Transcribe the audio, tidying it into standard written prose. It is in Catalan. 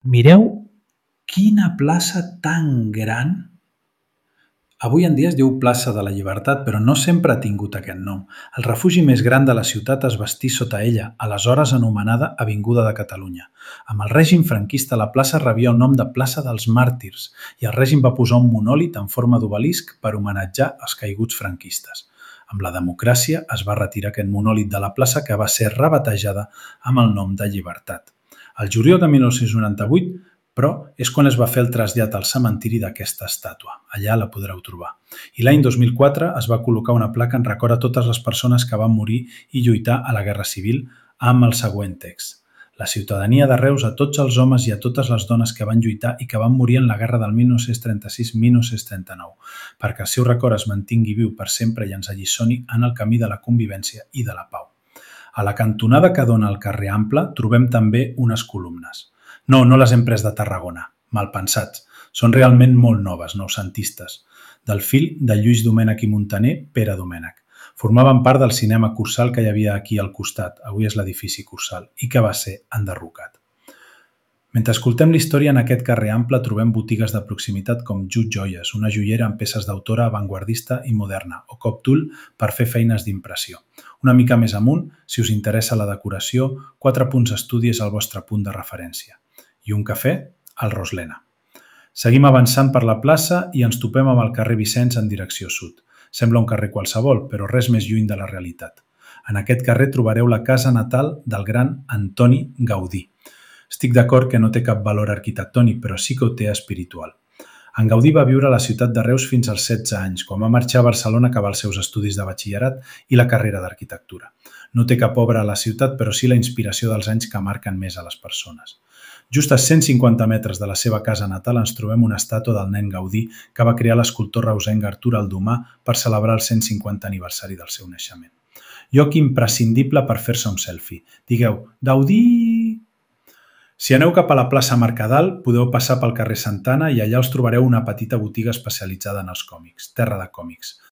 Mireu quina plaça tan gran! Avui en dia es diu Plaça de la Llibertat, però no sempre ha tingut aquest nom. El refugi més gran de la ciutat es bastí sota ella, aleshores anomenada Avinguda de Catalunya. Amb el règim franquista, la plaça rebia el nom de Plaça dels Màrtirs i el règim va posar un monòlit en forma d'obelisc per homenatjar els caiguts franquistes. Amb la democràcia es va retirar aquest monòlit de la plaça, que va ser rebatejada amb el nom de Llibertat. El juliol de 1998, però, és quan es va fer el trasllat al cementiri d'aquesta estàtua. Allà la podreu trobar. I l'any 2004 es va col·locar una placa en record a totes les persones que van morir i lluitar a la Guerra Civil amb el següent text: la ciutadania de Reus, a tots els homes i a totes les dones que van lluitar i que van morir en la guerra del 1936-1939, perquè el seu record es mantingui viu per sempre i ens alliçoni en el camí de la convivència i de la pau. A la cantonada que dona al carrer Ample trobem també unes columnes. No les hem pres de Tarragona, malpensats. Són realment molt noves, noucentistes, del fill de Lluís Domènech i Muntaner, Pere Domènech. Formaven part del cinema Cursal que hi havia aquí al costat, avui és l'edifici Cursal, i que va ser enderrocat. Mentre escoltem la història, en aquest carrer Ample trobem botigues de proximitat com Jut Joies, una joiera amb peces d'autora avantguardista i moderna, o Coptool per fer feines d'impressió. Una mica més amunt, si us interessa la decoració, 4 punts estudi és el vostre punt de referència. I un cafè, al Roslena. Seguim avançant per la plaça i ens topem amb el carrer Vicenç en direcció sud. Sembla un carrer qualsevol, però res més lluny de la realitat. En aquest carrer trobareu la casa natal del gran Antoni Gaudí. Estic d'acord que no té cap valor arquitectònic, però sí que ho té espiritual. En Gaudí va viure a la ciutat de Reus fins als 16 anys, quan va marxar a Barcelona a acabar els seus estudis de batxillerat i la carrera d'arquitectura. No té cap obra a la ciutat, però sí la inspiració dels anys que marquen més a les persones. Just a 150 metres de la seva casa natal ens trobem una estàtua del nen Gaudí que va crear l'escultor reusenc Artur Aldomà per celebrar el 150 aniversari del seu naixement. Lloc imprescindible per fer-se un selfie. Digueu, Gaudí! Si aneu cap a la plaça Mercadal, podeu passar pel carrer Santana i allà us trobareu una petita botiga especialitzada en els còmics, Terra de Còmics.